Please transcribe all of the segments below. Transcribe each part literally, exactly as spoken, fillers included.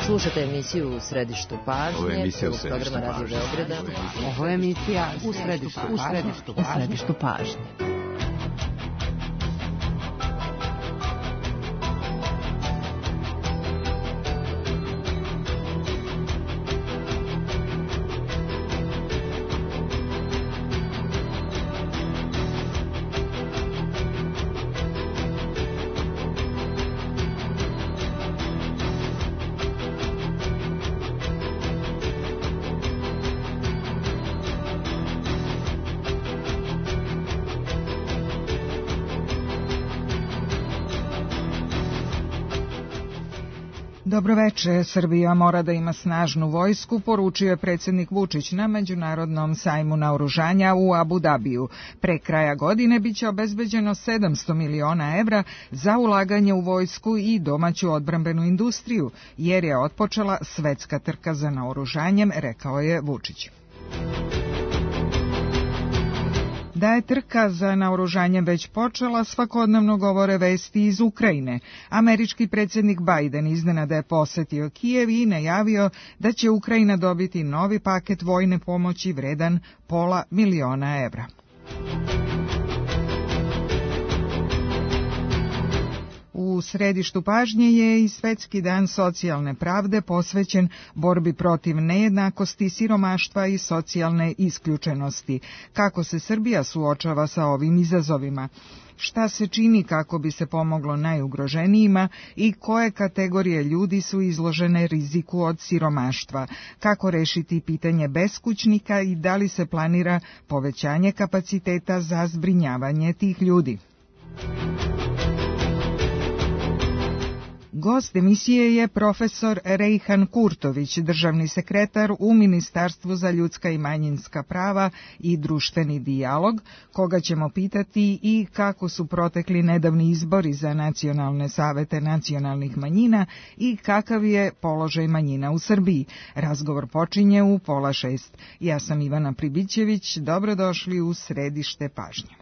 Slušajte emisiju U središtu pažnje. Ovo je emisija U središtu programa Radio Beograda. Ovo je emisija U središtu pažnje. U središtu pažnje. Dobroveče, Srbija mora da ima snažnu vojsku, poručio je predsjednik Vučić na Međunarodnom sajmu naoružanja u Abu Dabiju. Pre kraja godine biće obezbeđeno sedamsto miliona evra za ulaganje u vojsku i domaću odbrambenu industriju, jer je otpočela svetska trka za naoružanjem, rekao je Vučić. Da je trka za naoružanjem već počela, svakodnevno govore vesti iz Ukrajine. Američki predsjednik Biden iznenada je posetio Kijev i najavio da će Ukrajina dobiti novi paket vojne pomoći vredan pola miliona evra. U središtu pažnje je i Svetski dan socijalne pravde posvećen borbi protiv nejednakosti, siromaštva i socijalne isključenosti. Kako se Srbija suočava sa ovim izazovima? Šta se čini kako bi se pomoglo najugroženijima i koje kategorije ljudi su izložene riziku od siromaštva? Kako rešiti pitanje beskućnika i da li se planira povećanje kapaciteta za zbrinjavanje tih ljudi? Gost emisije je profesor Rejhan Kurtović, državni sekretar u Ministarstvu za ljudska i manjinska prava i društveni dijalog, koga ćemo pitati i kako su protekli nedavni izbori za nacionalne savete nacionalnih manjina i kakav je položaj manjina u Srbiji. Razgovor počinje u pola šest. Ja sam Ivana Pribićević, dobrodošli u središte pažnje.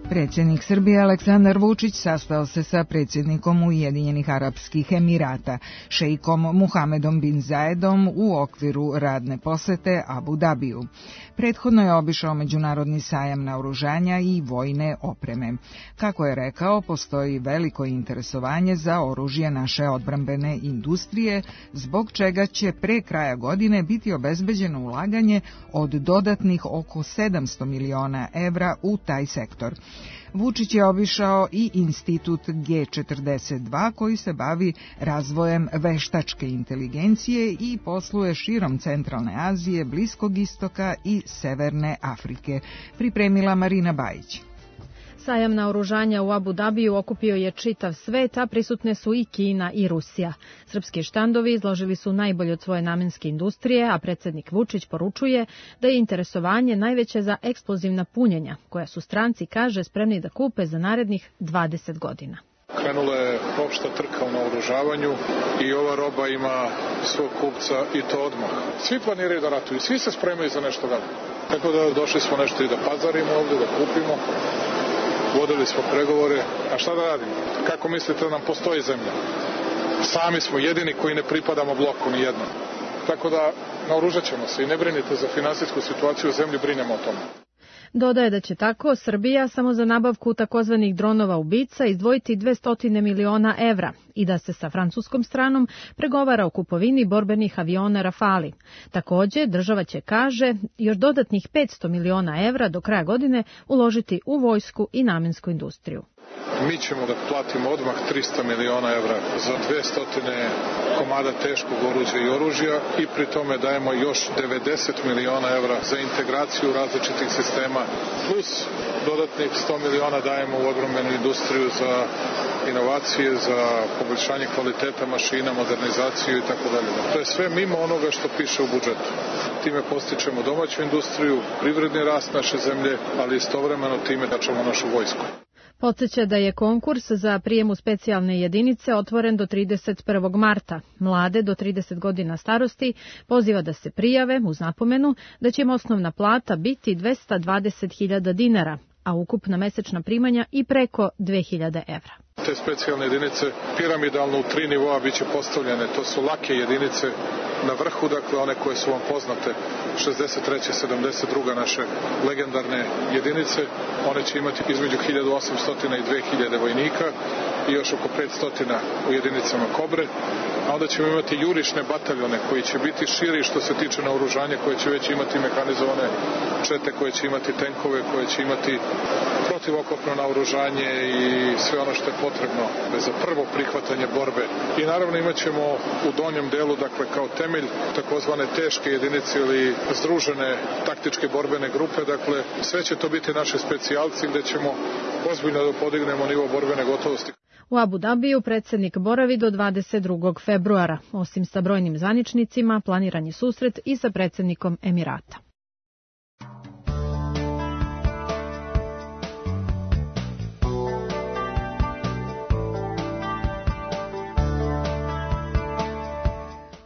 Predsjednik Srbije Aleksandar Vučić sastao se sa predsjednikom Ujedinjenih Arapskih Emirata, šeikom Muhamedom bin Zayedom u okviru radne posete Abu Dabiju. Prethodno je obišao Međunarodni sajam naoružanja i vojne opreme. Kako je rekao, postoji veliko interesovanje za oružje naše odbrambene industrije, zbog čega će pre kraja godine biti obezbeđeno ulaganje od dodatnih oko sedamsto miliona evra u taj sektor. Vučić je obišao i Institut G četrdeset dva koji se bavi razvojem veštačke inteligencije i posluje širom Centralne Azije, Bliskog istoka i Severne Afrike. Pripremila Marina Bajić. Sajam naoružanja u Abu Dabiju okupio je čitav svet, a prisutne su i Kina i Rusija. Srpski štandovi izložili su najbolje od svoje namenske industrije, a predsjednik Vučić poručuje da je interesovanje najveće za eksplozivna punjenja, koja su stranci, kaže, spremni da kupe za narednih dvadeset godina. Krenula je opšta trka u naoružavanju i ova roba ima svog kupca i to odmah. Svi planiraju da ratuju, svi se spremaju za nešto dalje. Tako da došli smo nešto i da pazarimo ovdje, da kupimo. Vodili smo pregovore, a šta da radimo? Kako mislite da nam postoji zemlja? Sami smo jedini koji ne pripadamo bloku ni jednom. Tako da naoružat ćemo se i ne brinite za finansijsku situaciju u zemlji, brinemo o tome. Dodaje da će tako Srbija samo za nabavku takozvanih dronova ubica izdvojiti dvesta miliona evra i da se sa francuskom stranom pregovara o kupovini borbenih aviona Rafali. Također, država će, kaže, još dodatnih petsto miliona evra do kraja godine uložiti u vojsku i namensku industriju. Mi ćemo da platimo odmah trista miliona evra za dvesta komada teškog oruđa i oružja i pri tome dajemo još devedeset miliona evra za integraciju različitih sistema, plus dodatnih sto miliona dajemo u odbrambenu industriju za inovacije, za poboljšanje kvaliteta mašina, modernizaciju i tako dalje. To je sve mimo onoga što piše u budžetu. Time postičemo domaću industriju, privredni rast naše zemlje, ali istovremeno time jačamo našu vojsku. Podsjeća da je konkurs za prijem u specijalne jedinice otvoren do trideset prvog marta. Mlade do trideset godina starosti poziva da se prijave uz napomenu da će im osnovna plata biti dvesta dvadeset hiljada dinara, a ukupna mesečna primanja i preko dve hiljade evra. Te specijalne jedinice piramidalno u tri nivoa biće postavljene. To su lake jedinice na vrhu, dakle one koje su vam poznate, šezdeset treća sedamdeset druga naše legendarne jedinice. One će imati između hiljadu osamsto i dve hiljade vojnika i još oko petsto u jedinicama Kobre. A onda ćemo imati jurišne bataljone koji će biti širi što se tiče naoružanja, koje će već imati mehanizovane čete, koje će imati tenkove, koje će imati protivokopno naoružanje i sve ono što je potrebno za prvo prihvatanje borbe. I naravno imat ćemo u donjem delu, dakle kao temelj, takozvane teške jedinice ili združene taktičke borbene grupe, dakle sve će to biti naši specijalci gde ćemo ozbiljno da podignemo nivo borbene gotovosti. U Abu Dabiju predsjednik boravi do dvadeset drugog februara. Osim sa brojnim zvaničnicima, planiran je susret i sa predsjednikom Emirata.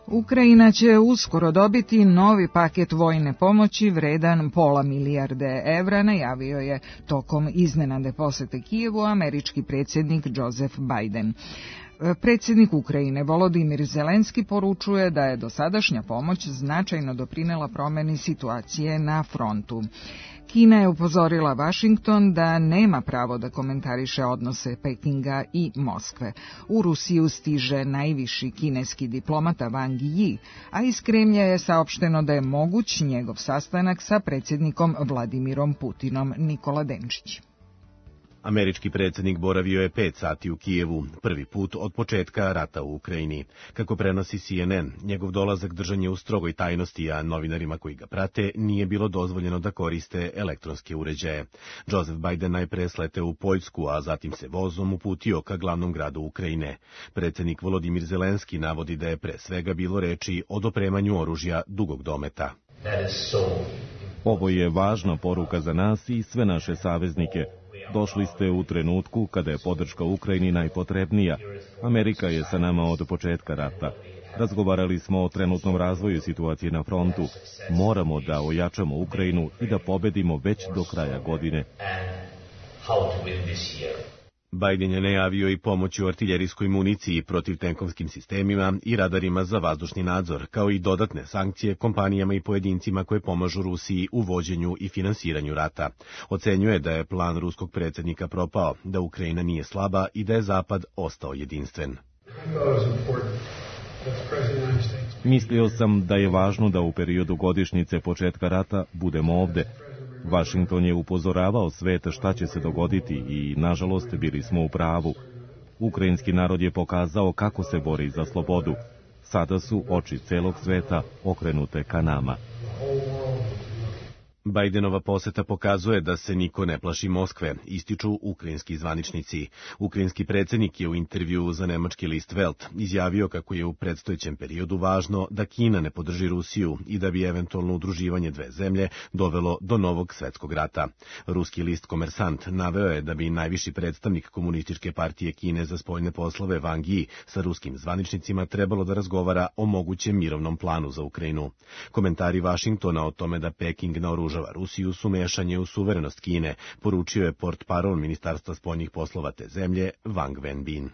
Ukrajina će uskoro dobiti novi paket vojne pomoći vredan pola milijarde evra, najavio je tokom iznenade posete Kijevu američki predsjednik Joseph Biden. Predsjednik Ukrajine Volodimir Zelenski poručuje da je dosadašnja pomoć značajno doprinela promjeni situacije na frontu. Kina je upozorila Washington da nema pravo da komentariše odnose Pekinga i Moskve. U Rusiju stiže najviši kineski diplomata Wang Yi, a iz Kremlja je saopšteno da je moguć njegov sastanak sa predsjednikom Vladimirom Putinom. Nikola Denčić. Američki predsjednik boravio je pet sati u Kijevu, prvi put od početka rata u Ukrajini. Kako prenosi C N N, njegov dolazak držan je u strogoj tajnosti, a novinarima koji ga prate nije bilo dozvoljeno da koriste elektronske uređaje. Joseph Biden najpre sleteo u Poljsku, a zatim se vozom uputio ka glavnom gradu Ukrajine. Predsjednik Volodimir Zelenski navodi da je pre svega bilo reči o dopremanju oružja dugog dometa. Ovo je važna poruka za nas i sve naše saveznike. Došli ste u trenutku kada je podrška Ukrajini najpotrebnija. Amerika je sa nama od početka rata. Razgovarali smo o trenutnom razvoju situacije na frontu. Moramo da ojačamo Ukrajinu i da pobedimo već do kraja godine. Biden je najavio i pomoć u artiljerijskoj municiji, protiv tenkovskim sistemima i radarima za vazdušni nadzor, kao i dodatne sankcije kompanijama i pojedincima koje pomažu Rusiji u vođenju i finansiranju rata. Ocenjuje da je plan ruskog predsjednika propao, da Ukrajina nije slaba i da je Zapad ostao jedinstven. Mislio sam da je važno da u periodu godišnjice početka rata budemo ovde. Washington je upozoravao svet šta će se dogoditi i, nažalost, bili smo u pravu. Ukrajinski narod je pokazao kako se bori za slobodu. Sada su oči celog sveta okrenute ka nama. Bidenova poseta pokazuje da se niko ne plaši Moskve, ističu ukrajinski zvaničnici. Ukrajinski predsjednik je u intervjuu za nemački list Welt izjavio kako je u predstojećem periodu važno da Kina ne podrži Rusiju i da bi eventualno udruživanje dve zemlje dovelo do novog svetskog rata. Ruski list Komersant naveo je da bi najviši predstavnik komunističke partije Kine za spoljne poslove Wang Yi sa ruskim zvaničnicima trebalo da razgovara o mogućem mirovnom planu za Ukrajinu. Komentari Washingtona o tome da Peking naoružava Rusiju su mešanje u suverenost Kine, poručio je portparol Ministarstva spoljnih poslova te zemlje Wang Wenbin.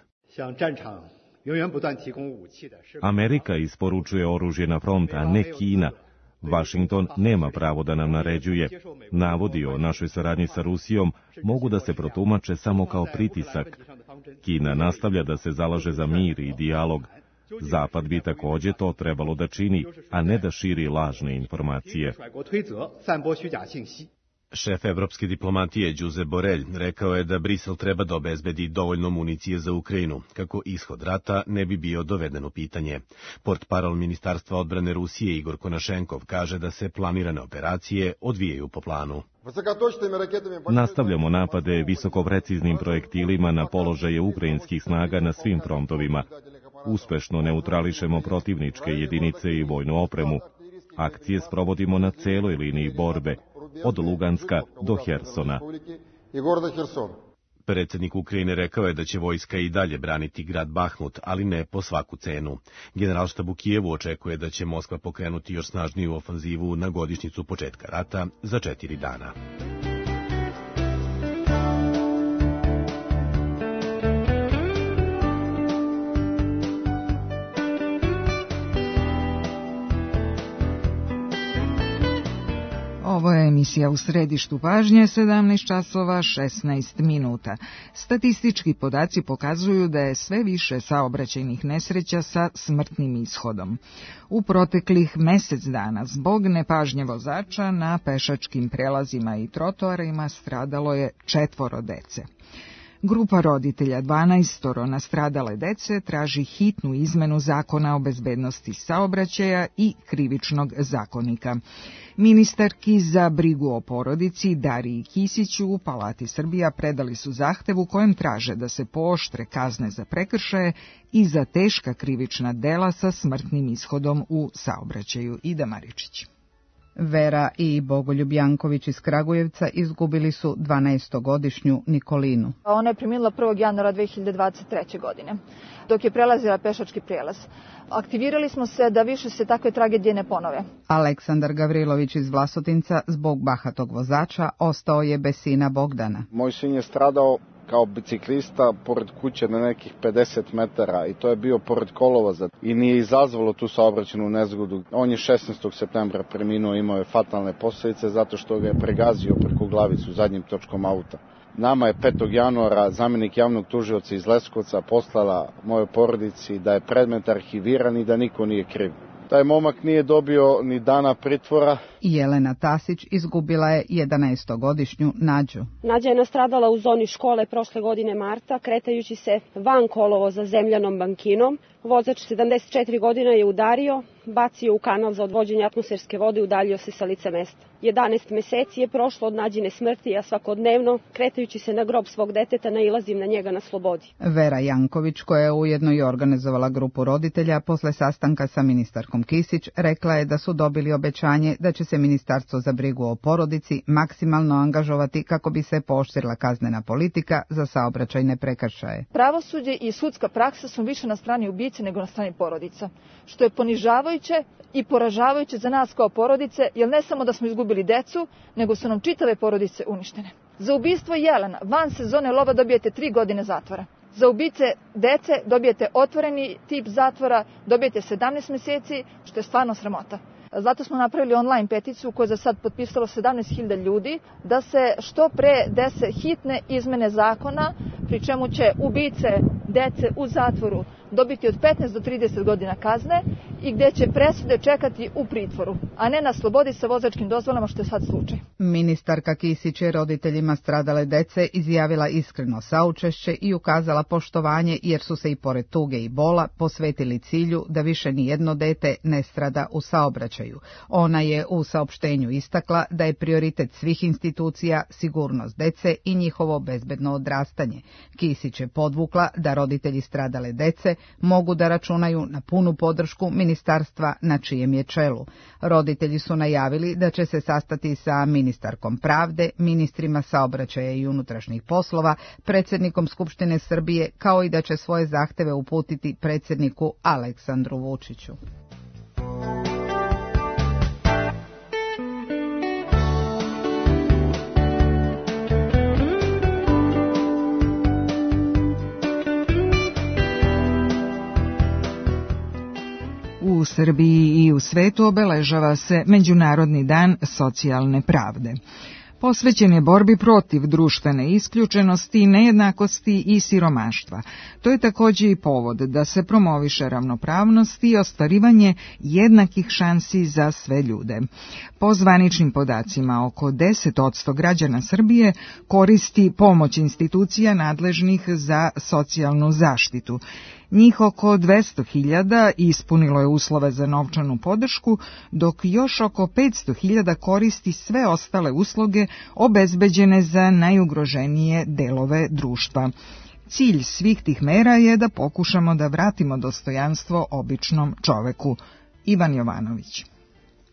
Amerika isporučuje oružje na front, a ne Kina. Washington nema pravo da nam naređuje. Navodi o našoj saradnji sa Rusijom mogu da se protumače samo kao pritisak. Kina nastavlja da se zalaže za mir i dijalog. Zapad bi takođe to trebalo da čini, a ne da širi lažne informacije. Šef evropske diplomatije Josep Borrell rekao je da Brisel treba da obezbedi dovoljno municije za Ukrajinu, kako ishod rata ne bi bio doveden u pitanje. Portparol Ministarstva odbrane Rusije Igor Konašenkov kaže da se planirane operacije odvijaju po planu. Nastavljamo napade visokopreciznim projektilima na položaje ukrajinskih snaga na svim frontovima. Uspešno neutrališemo protivničke jedinice i vojnu opremu. Akcije sprovodimo na celoj liniji borbe, od Luganska do Hersona. Predsjednik Ukrajine rekao je da će vojska i dalje braniti grad Bahmut, ali ne po svaku cenu. Generalštab u Kijevu očekuje da će Moskva pokrenuti još snažniju ofanzivu na godišnjicu početka rata za četiri dana. Ovo je emisija U središtu pažnje, sedamnaest časova šesnaest minuta. Statistički podaci pokazuju da je sve više saobraćajnih nesreća sa smrtnim ishodom. U proteklih mesec dana zbog nepažnje vozača na pešačkim prelazima i trotoarima stradalo je četvoro dece. Grupa roditelja dvanaestoro nastradale dece traži hitnu izmenu zakona o bezbednosti saobraćaja i krivičnog zakonika. Ministarki za brigu o porodici Dariji Kisiću u Palati Srbija predali su zahtev u kojem traže da se pooštre kazne za prekršaje i za teška krivična dela sa smrtnim ishodom u saobraćaju. Ida Maričić. Vera i Bogoljub Janković iz Kragujevca izgubili su dvanaestogodišnju Nikolinu. Ona je preminula prvog januara dve hiljade dvadeset treće. godine, dok je prelazila pešački prijelaz. Aktivirali smo se da više se takve tragedije ne ponove. Aleksandar Gavrilović iz Vlasotinca zbog bahatog vozača ostao je bez sina Bogdana. Moj sin je stradao kao biciklista pored kuće na nekih pedeset metara i to je bio pored kolovoza i nije izazvalo tu saobraćajnu nezgodu. On je šesnaestog septembra preminuo, imao je fatalne posljedice zato što ga je pregazio preko glavicu zadnjim točkom auta. Nama je petog januara zamjenik javnog tužioca iz Leskovca poslala mojoj porodici da je predmet arhiviran i da niko nije kriv. Taj momak nije dobio ni dana pritvora. Jelena Tasić izgubila je jedanaestogodišnju Nađu. Nađa je nastradala u zoni škole prošle godine marta, kretajući se van kolovoza zemljanom bankinom. Vozač sedamdeset četiri godine je udario, bacio u kanal za odvođenje atmosferske vode i udaljio se sa lica mesta. jedanaest meseci je prošlo od Nađine smrti, a svakodnevno, kretajući se na grob svog deteta, nailazim na njega na slobodi. Vera Janković, koja je ujedno i organizovala grupu roditelja, posle sastanka sa ministarkom Kisić, rekla je da su dobili obećanje da će se Ministarstvo za brigu o porodici maksimalno angažovati kako bi se pooštrila kaznena politika za saobraćajne prekršaje. Pravosuđe i sudska praksa su više na strani ubice nego na strani porodica, što je ponižavajuće i poražavajuće za nas kao porodice, jer ne samo da smo izgubili decu, nego su nam čitave porodice uništene. Za ubistvo jelena van sezone lova dobijete tri godine zatvora. Za ubice dece dobijete otvoreni tip zatvora, dobijete sedamnaest meseci, što je stvarno sramota. Zato smo napravili online peticiju koju je za sad potpisalo sedamnaest hiljada ljudi da se što pre dese hitne izmene zakona, pri čemu će ubice dece u zatvoru dobiti od petnaest do trideset godina kazne i gdje će presude čekati u pritvoru, a ne na slobodi sa vozačkim dozvolama, što je sad slučaj. Ministarka Kisić je roditeljima stradale dece izjavila iskreno saučešće i ukazala poštovanje jer su se i pored tuge i bola posvetili cilju da više ni jedno dete ne strada u saobraćaju. Ona je u saopštenju istakla da je prioritet svih institucija sigurnost dece i njihovo bezbedno odrastanje. Kisić je podvukla da roditelji stradale dece mogu da računaju na punu podršku ministarstva na čijem je čelu. Roditelji su najavili da će se sastati sa ministarkom pravde, ministrima saobraćaja i unutrašnjih poslova, predsjednikom Skupštine Srbije, kao i da će svoje zahteve uputiti predsjedniku Aleksandru Vučiću. U Srbiji i u svetu obeležava se Međunarodni dan socijalne pravde. posvećen je borbi protiv društvene isključenosti, nejednakosti i siromaštva. To je također i povod da se promoviše ravnopravnost i ostvarivanje jednakih šansi za sve ljude. Po zvaničnim podacima, oko deset posto građana Srbije koristi pomoć institucija nadležnih za socijalnu zaštitu. Njih oko dvesta hiljada ispunilo je uslove za novčanu podršku, dok još oko petsto hiljada koristi sve ostale usluge obezbeđene za najugroženije delove društva. Cilj svih tih mera je da pokušamo da vratimo dostojanstvo običnom čoveku. Ivan Jovanović.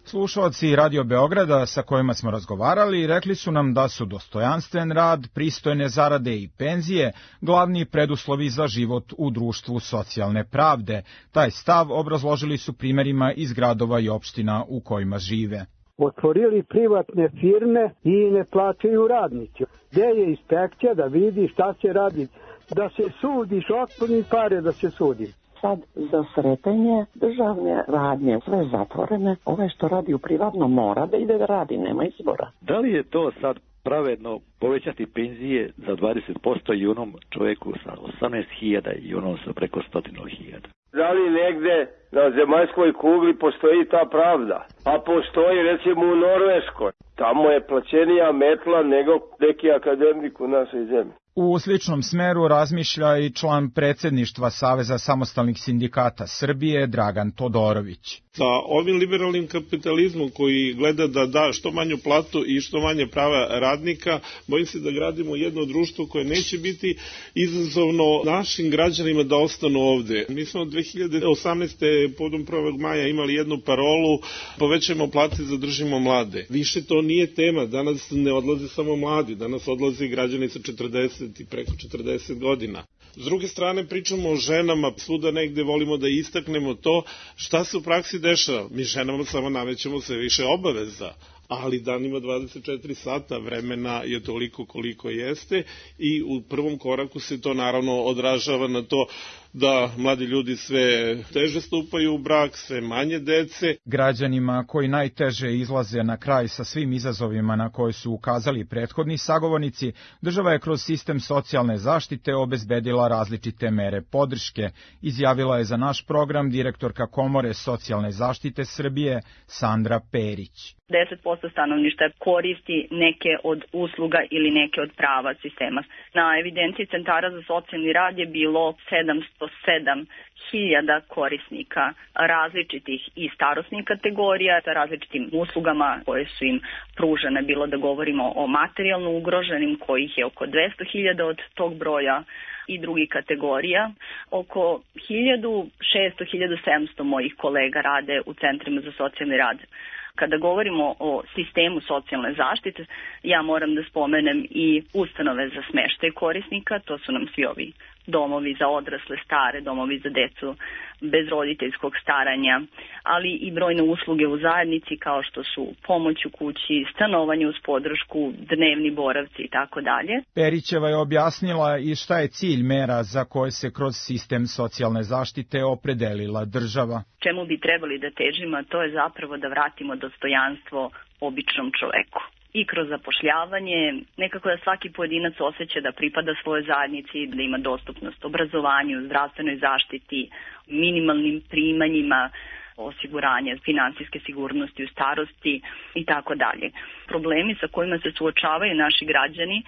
Slušalci Radio Beograda sa kojima smo razgovarali rekli su nam da su dostojanstven rad, pristojne zarade i penzije glavni preduslovi za život u društvu socijalne pravde. Taj stav obrazložili su primjerima iz gradova i opština u kojima žive. Otvorili privatne firme i ne plaćaju radnici. Gde je inspekcija da vidi šta se radi? Da se sudiš, otpuni pare da se sudi. Sad za sretanje državne radnje, sve zatvorene, ove što radi u privatnom mora da ide da radi, nema izbora. Da li je to sad pravedno povećati penzije za dvadeset posto i onom čovjeku sa osamnaest hiljada i onom sa preko sto hiljada? Da li negde na zemaljskoj kugli postoji ta pravda? Pa postoji recimo u Norveškoj. Tamo je plaćenija metla nego neki akademik u našoj zemlji. U sličnom smeru razmišlja i član predsjedništva Saveza samostalnih sindikata Srbije, Dragan Todorović. Sa ovim liberalnim kapitalizmom koji gleda da da što manju platu i što manje prava radnika, bojim se da gradimo jedno društvo koje neće biti izazovno našim građanima da ostanu ovde. Mi smo dve hiljade osamnaeste. podom prvog maja imali jednu parolu: povećajmo plate, zadržimo mlade. Više to nije tema, danas ne odlaze samo mladi, danas odlaze građani sa četrdeset i preko četrdeset godina. S druge strane pričamo o ženama, svuda negde volimo da istaknemo to šta se u praksi dešava. Mi ženama samo namećemo sve više obaveza, ali dan ima dvadeset četiri sata, vremena je toliko koliko jeste i u prvom koraku se to naravno odražava na to da mladi ljudi sve teže stupaju u brak, sve manje dece. Građanima koji najteže izlaze na kraj sa svim izazovima na koje su ukazali prethodni sagovornici, država je kroz sistem socijalne zaštite obezbedila različite mere podrške, izjavila je za naš program direktorka Komore socijalne zaštite Srbije Sandra Perić. deset posto stanovništva koristi neke od usluga ili neke od prava sistema. Na evidenciji centara za socijalni rad je bilo sedamsto sedam hiljada korisnika različitih i starosnih kategorija sa različitim uslugama koje su im pružene, bilo da govorimo o materijalno ugroženim, kojih je oko dvesta hiljada od tog broja, i drugih kategorija. Oko hiljadu šesto do hiljadu sedamsto mojih kolega rade u centrima za socijalni rad. Kada govorimo o sistemu socijalne zaštite, ja moram da spomenem i ustanove za smeštaj korisnika, to su nam svi ovi domovi za odrasle, stare, domovi za decu bez roditeljskog staranja, ali i brojne usluge u zajednici kao što su pomoć u kući, stanovanje uz podršku, dnevni boravci i tako dalje. Perićeva je objasnila i šta je cilj mera za koje se kroz sistem socijalne zaštite opredelila država. Čemu bi trebali da težimo, to je zapravo da vratimo dostojanstvo običnom čoveku. I kroz zapošljavanje, nekako da svaki pojedinac osjeća da pripada svojoj zajednici, da ima dostupnost obrazovanju, zdravstvenoj zaštiti, minimalnim primanjima, osiguranje finansijske sigurnosti u starosti i tako dalje. Problemi sa kojima se suočavaju naši građani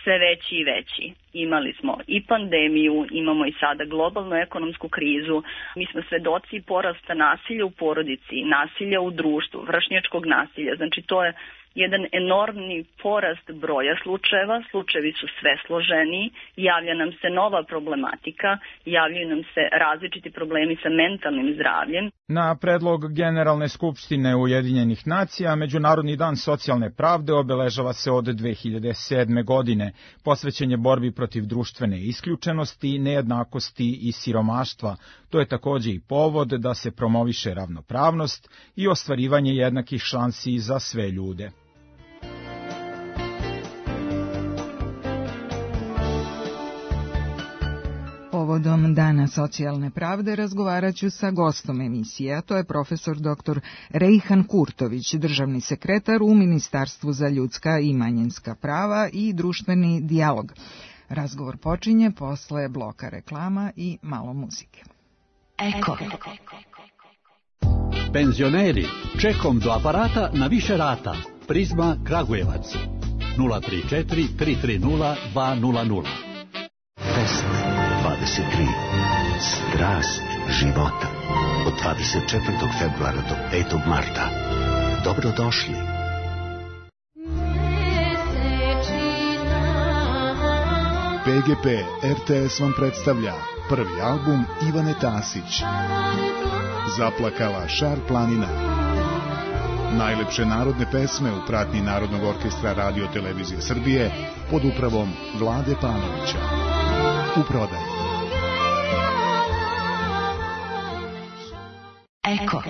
sve veći i veći. Imali smo i pandemiju, imamo i sada globalnu ekonomsku krizu. Mi smo svedoci porasta nasilja u porodici, nasilja u društvu, vršnjačkog nasilja. Znači to je jedan enormni porast broja slučajeva, slučajevi su sve složeniji, javlja nam se nova problematika, javljaju nam se različiti problemi sa mentalnim zdravljem. Na predlog Generalne skupštine Ujedinjenih nacija, Međunarodni dan socijalne pravde obeležava se od dve hiljade sedme. godine. Posvećen je borbi protiv društvene isključenosti, nejednakosti i siromaštva. To je također i povod da se promoviše ravnopravnost i ostvarivanje jednakih šansi za sve ljude. Ovo Povodom Dana socijalne pravde razgovarat ću sa gostom emisije, a to je profesor doktor Rejhan Kurtović, državni sekretar u Ministarstvu za ljudska i manjinska prava i društveni dijalog. Razgovor počinje posle bloka reklama i malo muzike. Eko. Penzioneri, čekom do aparata na više rata. Prizma Kragujevac. nula tri četiri tri tri nula dva nula nula. Fest dvadeset tri. Strast života. Od dvadeset četvrtog februara do petog marta. Dobrodošli. P G P R T S vam predstavlja prvi album Ivane Tasić. Zaplakala Šar planina. Najlepše narodne pesme u pratnji Narodnog orkestra Radio Televizije Srbije pod upravom Vlade Panovića. U prodaji. Eko.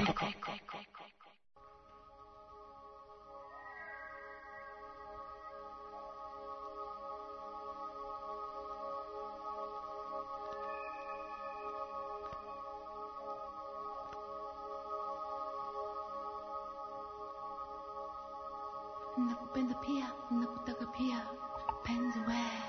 Nakupenda pia, nakutaka pia, penzi we.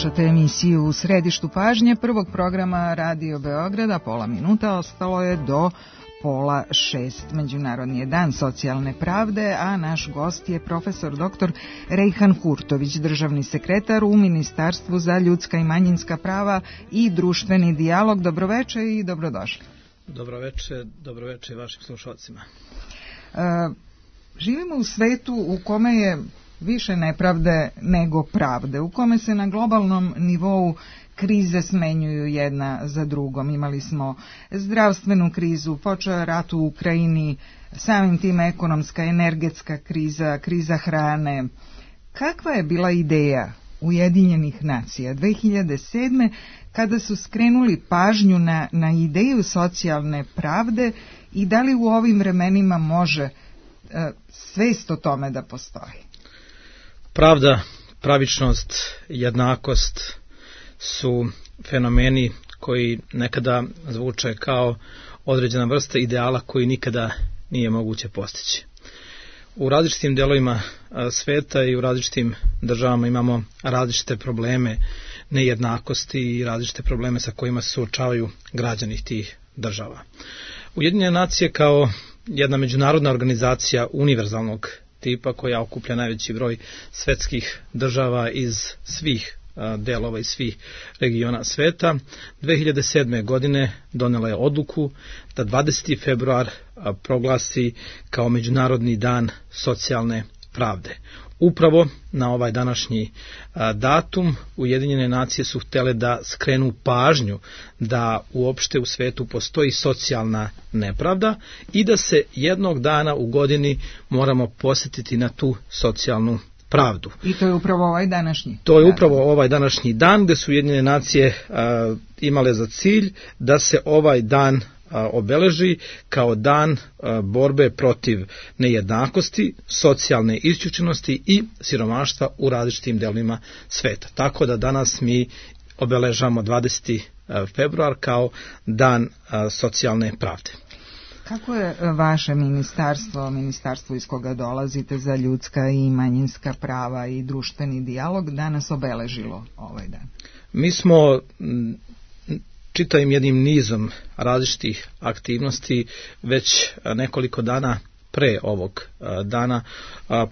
Slušate emisiju U središtu pažnje prvog programa Radio Beograda. Pola minuta ostalo je do pola šest. Međunarodni je dan socijalne pravde, a naš gost je profesor doktor Rejhan Kurtović, državni sekretar u Ministarstvu za ljudska i manjinska prava i društveni dijalog. Dobroveče i dobrodošli. Dobroveče, dobroveče vašim slušalcima. E, živimo u svetu u kome je više nepravde nego pravde, u kome se na globalnom nivou krize smenjuju jedna za drugom. Imali smo zdravstvenu krizu, počeo je rat u Ukrajini, samim tim ekonomska, energetska kriza, kriza hrane. Kakva je bila ideja Ujedinjenih nacija dve hiljade sedme kada su skrenuli pažnju na, na ideju socijalne pravde i da li u ovim vremenima može e, svest o tome da postoji? Pravda, pravičnost, jednakost su fenomeni koji nekada zvuče kao određena vrsta ideala koji nikada nije moguće postići. U različitim delovima sveta i u različitim državama imamo različite probleme nejednakosti i različite probleme sa kojima se suočavaju građani tih država. Ujedinjene nacije kao jedna međunarodna organizacija univerzalnog tipa koja okuplja najveći broj svetskih država iz svih delova i svih regiona sveta, dve hiljade sedme. godine donela je odluku da dvadeseti februar proglasi kao Međunarodni dan socijalne pravde. Upravo na ovaj današnji datum Ujedinjene nacije su htjele da skrenu pažnju da uopšte u svetu postoji socijalna nepravda i da se jednog dana u godini moramo posjetiti na tu socijalnu pravdu. I to je upravo ovaj današnji. To je upravo ovaj današnji dan gdje su Ujedinjene nacije a, imale za cilj da se ovaj dan a, obeleži kao dan a, borbe protiv nejednakosti, socijalne isključenosti i siromaštva u različitim delovima sveta. Tako da danas mi obeležamo dvadeseti februar kao dan a, socijalne pravde. Kako je vaše ministarstvo, ministarstvo iz koga dolazite za ljudska i manjinska prava i društveni dijalog danas obeležilo ovaj dan? Mi smo čitavim jednim nizom različitih aktivnosti već nekoliko dana pre ovog dana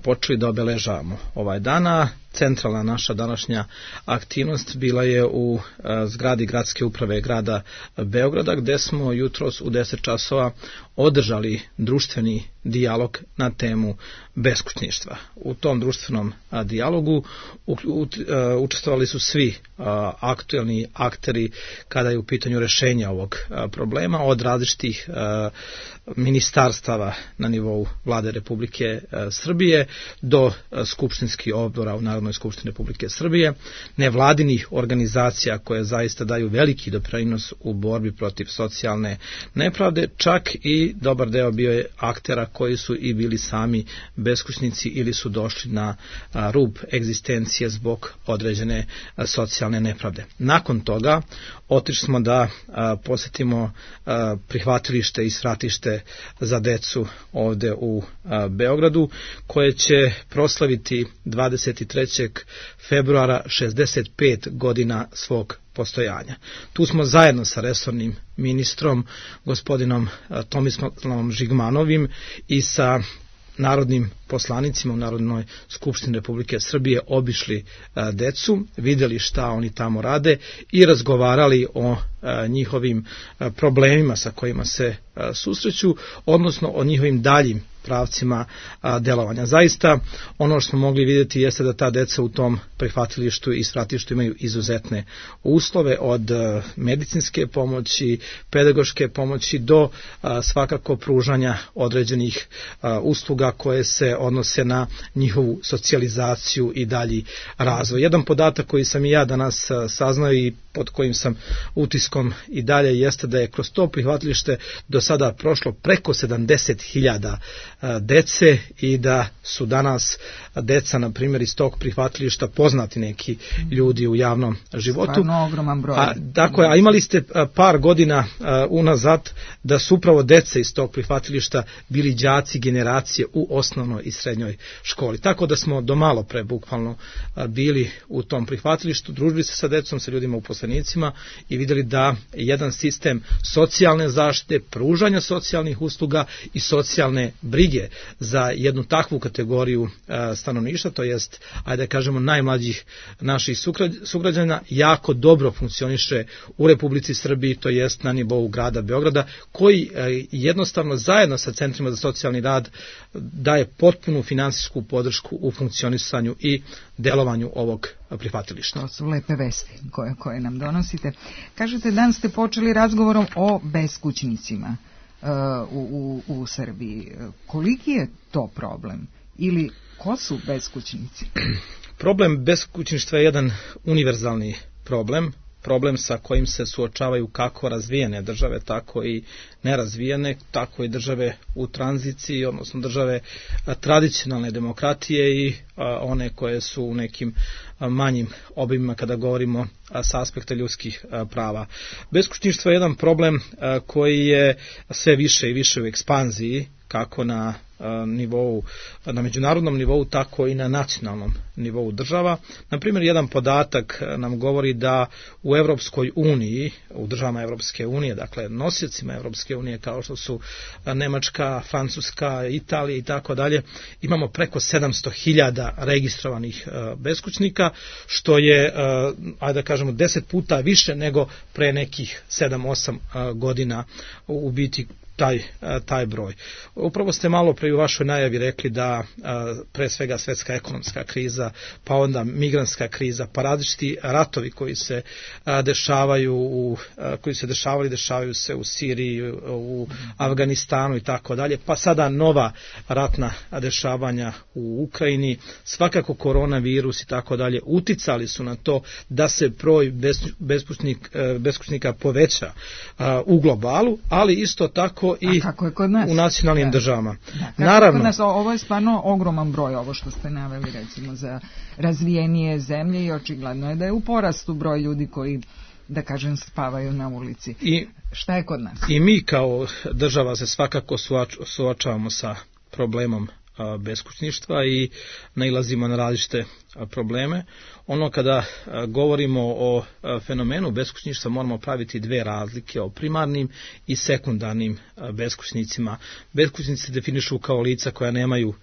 počeli da obeležavamo ovaj dana. Centralna naša današnja aktivnost bila je u zgradi gradske uprave grada Beograda, gde smo jutros u deset časova održali društveni dijalog na temu beskućništva. U tom društvenom dijalogu učestvovali su svi aktuelni akteri kada je u pitanju rešenja ovog problema, od različitih ministarstava na nivou Vlade Republike Srbije do skupštinskih odbora u Narodnoj skupštini Republike Srbije, nevladinih organizacija koje zaista daju veliki doprinos u borbi protiv socijalne nepravde, čak i dobar deo bio je aktera koji su i bili sami beskućnici ili su došli na rub egzistencije zbog određene socijalne nepravde. Nakon toga otišli smo da posjetimo prihvatilište i svratište za decu ovde u Beogradu, koje će proslaviti dvadeset trećeg februara šezdeset pet godina svog postojanja. Tu smo zajedno sa resornim ministrom, gospodinom Tomislavom Žigmanovim i sa narodnim poslanicima u Narodnoj skupštini Republike Srbije obišli a, decu, vidjeli šta oni tamo rade i razgovarali o a, njihovim a, problemima sa kojima se a, susreću, odnosno o njihovim daljim pravcima a, delovanja. Zaista ono što smo mogli vidjeti jeste da ta deca u tom prihvatilištu i svratištu imaju izuzetne uslove, od a, medicinske pomoći, pedagoške pomoći do a, svakako pružanja određenih a, usluga koje se odnose na njihovu socijalizaciju i dalji razvoj. Jedan podatak koji sam i ja danas a, saznao i pod kojim sam utiskom i dalje jeste da je kroz to prihvatilište do sada prošlo preko sedamdeset hiljada dece i da su danas deca, na primjer, iz tog prihvatilišta poznati neki ljudi u javnom životu. Stvarno ogroman broj. A, dakle, a imali ste par godina unazad da su upravo dece iz tog prihvatilišta bili đaci generacije u osnovnoj i srednjoj školi. Tako da smo do malo pre bukvalno bili u tom prihvatilištu, družili se sa decom, sa ljudima uposlenicima i vidjeli da jedan sistem socijalne zaštite, pružanja socijalnih usluga i socijalne brige za jednu takvu kategoriju stanovništva, to jest, ajde da kažemo, najmlađih naših sugrađana, jako dobro funkcioniše u Republici Srbiji, to jest na nivou grada Beograda, koji jednostavno zajedno sa centrima za socijalni rad daje potpunu finansijsku podršku u funkcionisanju i delovanju ovog prihvatilišta. To su lepe vesti koje, koje nam donosite. Kažete, dan ste počeli razgovorom o beskućnicima uh, u, u, u Srbiji. Koliki je to problem? Ili ko su beskućnici? Problem beskućništva je jedan univerzalni problem, problem sa kojim se suočavaju kako razvijene države, tako i nerazvijene, tako i države u tranziciji, odnosno države tradicionalne demokratije i one koje su u nekim manjim obimima kada govorimo sa aspekta ljudskih prava. Beskućništvo je jedan problem koji je sve više i više u ekspanziji, kako na nivou, na međunarodnom nivou, tako i na nacionalnom nivou država. Na primjer, jedan podatak nam govori da u Evropskoj uniji, u državama Evropske unije, dakle nosiocima Evropske unije kao što su Nemačka, Francuska, Italija i tako dalje, imamo preko sedamsto hiljada registrovanih beskućnika, što je, ajde da kažemo, deset puta više nego pre nekih sedam osam godina u biti taj, taj broj. Upravo ste malo pre u vašoj najavi rekli da pre svega svetska ekonomska kriza, pa onda migrantska kriza, pa različiti ratovi koji se dešavaju u, koji se dešavali, dešavaju se u Siriji, u Afganistanu i tako dalje, pa sada nova ratna dešavanja u Ukrajini, svakako koronavirus i tako dalje uticali su na to da se broj beskućnik, beskućnika poveća u globalu, ali isto tako i u nacionalnim da. državama. Da, Naravno. Kod nas, ovo je stvarno ogroman broj, ovo što ste naveli recimo za razvijenije zemlje i očigledno je da je u porastu broj ljudi koji, da kažem, spavaju na ulici. I, šta je kod nas? I mi kao država se svakako suočavamo sa problemom beskućništva i nailazimo na različite probleme. Ono kada govorimo o fenomenu beskućništva moramo praviti dve razlike, o primarnim i sekundarnim beskućnicima. Beskućnici se definišu kao lica koja nemaju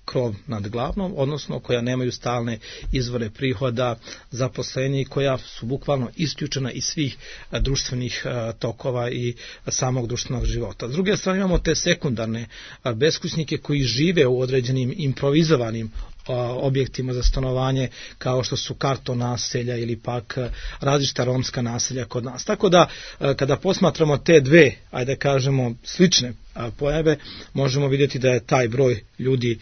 krov nad glavom, odnosno koja nemaju stalne izvore prihoda, zaposlenja i koja su bukvalno isključena iz svih društvenih tokova i samog društvenog života. S druge strane imamo te sekundarne beskućnike koji žive u određenim improvizovanim objektima za stanovanje kao što su karton naselja ili pak različita romska naselja kod nas. Tako da kada posmatramo te dve, ajde kažemo, slične pojave, možemo vidjeti da je taj broj ljudi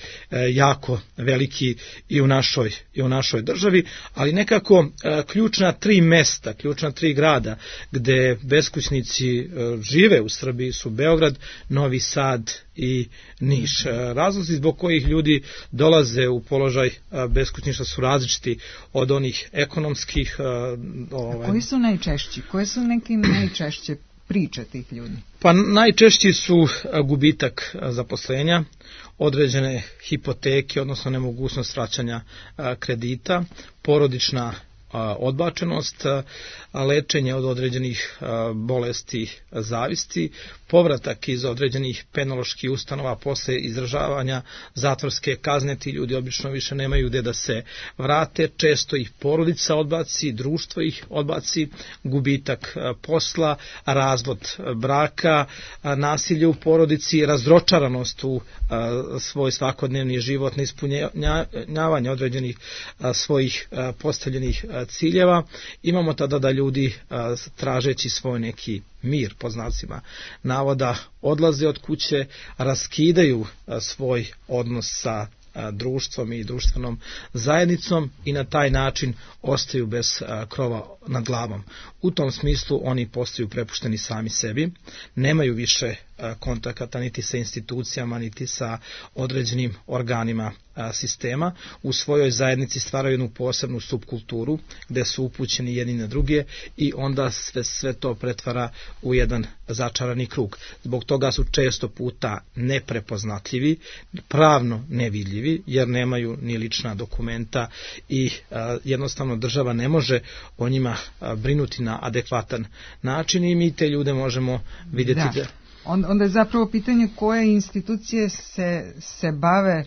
jako veliki i u našoj, i u našoj državi, ali nekako ključna tri mesta, ključna tri grada gde beskućnici žive u Srbiji su Beograd, Novi Sad i Niš. Razlozi zbog kojih ljudi dolaze u položaj beskućništva su različiti od onih ekonomskih. Ovaj... Koji su najčešći? Koje su neki najčešće priče tih ljudi? Pa najčešći su gubitak zaposlenja, određene hipoteke, odnosno nemogućnost vraćanja kredita, porodična odbačenost, lečenje od određenih bolesti zavisti, povratak iz određenih penoloških ustanova posle izdržavanja zatvorske kazne, ti ljudi obično više nemaju gde da se vrate, često ih porodica odbaci, društvo ih odbaci, gubitak posla, razvod braka, nasilje u porodici, razočaranost u svoj svakodnevni život, neispunjavanje određenih svojih postavljenih ciljeva. Imamo tada da ljudi tražeći svoj neki mir, po znacima navoda, odlaze od kuće, raskidaju svoj odnos sa društvom i društvenom zajednicom i na taj način ostaju bez krova nad glavom. U tom smislu oni postaju prepušteni sami sebi, nemaju više kontakata niti sa institucijama, niti sa određenim organima sistema. U svojoj zajednici stvaraju jednu posebnu subkulturu gde su upućeni jedni na druge i onda sve, sve to pretvara u jedan začarani krug. Zbog toga su često puta neprepoznatljivi, pravno nevidljivi, jer nemaju ni lična dokumenta i a, jednostavno država ne može o njima a, brinuti na adekvatan način i mi te ljude možemo vidjeti. Da. Da... Onda je zapravo pitanje koje institucije se, se bave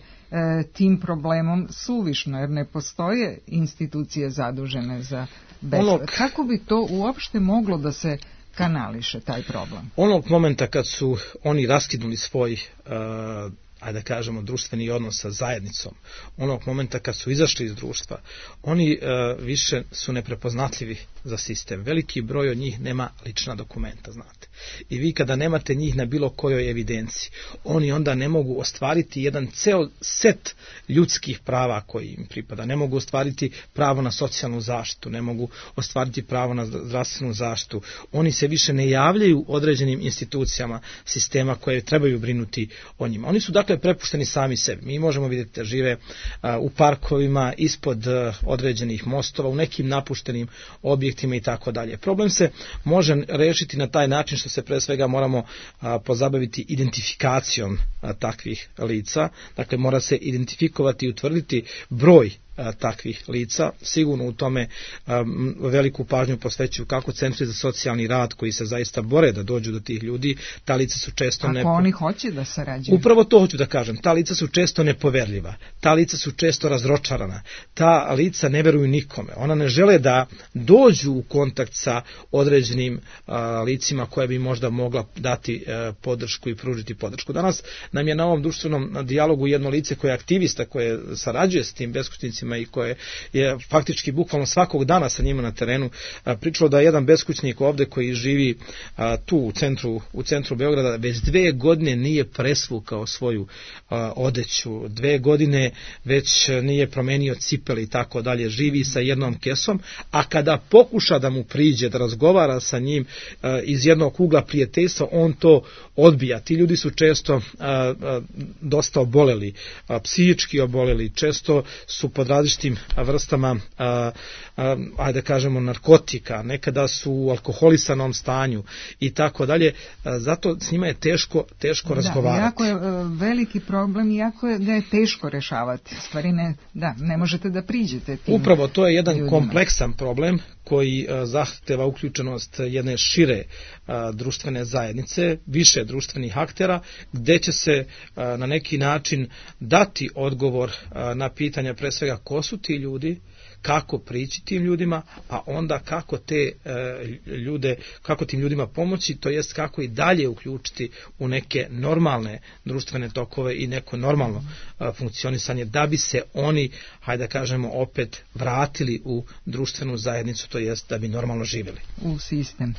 tim problemom suvišno, jer ne postoje institucije zadužene za besplatno. Ono... Kako bi to uopšte moglo da se kanališe, taj problem? Onog momenta kad su oni raskinuli svoj uh, ajde da kažemo, društveni odnos sa zajednicom, onog momenta kad su izašli iz društva, oni uh, više su neprepoznatljivi za sistem. Veliki broj od njih nema lična dokumenta, znate. I vi kada nemate njih na bilo kojoj evidenciji, oni onda ne mogu ostvariti jedan ceo set ljudskih prava koji im pripada. Ne mogu ostvariti pravo na socijalnu zaštitu, ne mogu ostvariti pravo na zdravstvenu zaštitu. Oni se više ne javljaju određenim institucijama sistema koje trebaju brinuti o njima. Oni su dakle prepušteni sami sebi. Mi možemo vidjeti da žive a, u parkovima, ispod a, određenih mostova, u nekim napuštenim objektima i tako dalje. Problem se može rešiti na taj način što se pre svega moramo a, pozabaviti identifikacijom a, takvih lica. Dakle, mora se identifikovati i utvrditi broj a, takvih lica. Sigurno u tome a, veliku pažnju posvećuju kako centri za socijalni rad koji se zaista bore da dođu do tih ljudi. Ta lica su često Ako nepo... oni hoće da sarađuju. Upravo to hoću da kažem. Ta lica su često nepoverljiva. Ta lica su često razročarana. Ta lica ne veruju nikome. Ona ne žele da dođu u kontakt sa određenim a, licima koje bi možda mogla dati a, podršku i pružiti podršku. Danas nam je na ovom društvenom dijalogu jedno lice koje je aktivista, koje sarađuje s tim beskućnicima i koje je faktički bukvalno svakog dana sa njima na terenu a, pričalo da je jedan beskućnik ovde koji živi a, tu u centru, u centru Beograda već dve godine nije presvukao svoju a, odeću, dve godine već nije promenio cipele i tako dalje, živi sa jednom kesom, a kada pokuša da mu priđe, da razgovara sa njim a, iz jednog ugla prijateljstva, on to odbija. Ti ljudi su često a, a, dosta oboleli, a, psihički oboleli, često su pod različitim vrstama a, a, ajde kažemo narkotika, nekada su u alkoholisanom stanju i tako dalje. Zato s njima je teško, teško razgovarati. Da, jako je veliki problem i jako je, da je teško rešavati. Stvari ne, da, ne možete da priđete tim Upravo to je jedan ljudima. Kompleksan problem koji a, zahteva uključenost jedne šire a, društvene zajednice, više društvenih aktera, gde će se a, na neki način dati odgovor a, na pitanja pre svega ko su ti ljudi, kako prići tim ljudima, a onda kako te e, ljude, kako tim ljudima pomoći, to jest kako i dalje uključiti u neke normalne društvene tokove i neko normalno e, funkcionisanje, da bi se oni, hajde da kažemo, opet vratili u društvenu zajednicu, to jest da bi normalno živjeli. U sistem.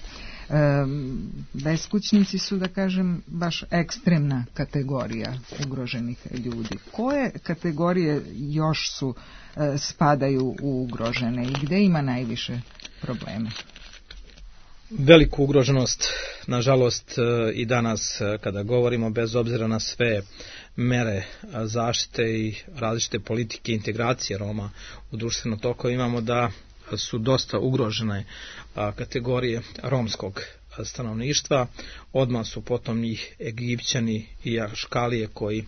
E, beskućnici su, da kažem, baš ekstremna kategorija ugroženih ljudi. Koje kategorije još su e, spadaju u ugrožene i gde ima najviše problema? Veliku ugroženost, nažalost, i danas kada govorimo, bez obzira na sve mere zaštite i različite politike integracije Roma u društveno toko, imamo da su dosta ugrožene kategorije romskog stanovništva. Odmah su potom njih Egipćani i Aškalije koji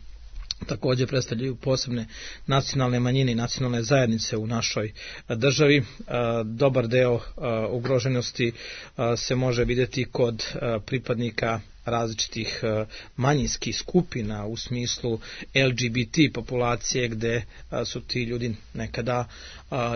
također predstavljaju posebne nacionalne manjine i nacionalne zajednice u našoj državi. Dobar deo ugroženosti se može vidjeti kod pripadnika različitih manjinskih skupina u smislu L G B T populacije, gde su ti ljudi nekada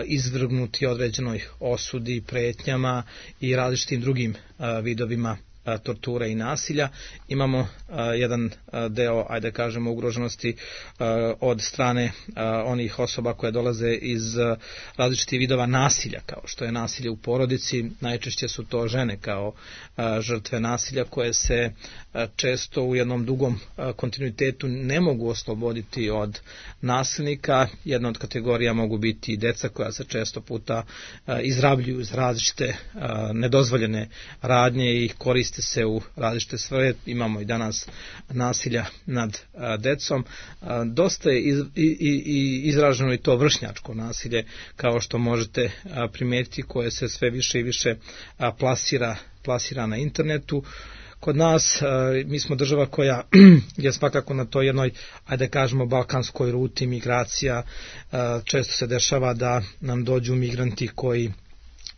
izvrgnuti određenoj osudi, pretnjama i različitim drugim vidovima torture i nasilja. Imamo uh, jedan uh, deo, ajde kažemo, ugroženosti uh, od strane uh, onih osoba koje dolaze iz uh, različitih vidova nasilja, kao što je nasilje u porodici. Najčešće su to žene kao uh, žrtve nasilja koje se uh, često u jednom dugom uh, kontinuitetu ne mogu osloboditi od nasilnika. Jedna od kategorija mogu biti i deca koja se često puta uh, izrabljuju iz različite uh, nedozvoljene radnje i koriste koriste se u različite svrhe, imamo i danas nasilja nad a, decom. A, dosta je iz, i, i, izraženo i to vršnjačko nasilje, kao što možete a, primetiti, koje se sve više i više a, plasira, plasira na internetu. Kod nas, mi smo država koja je svakako na toj jednoj, ajde kažemo, balkanskoj ruti migracija. Često se dešava da nam dođu migranti koji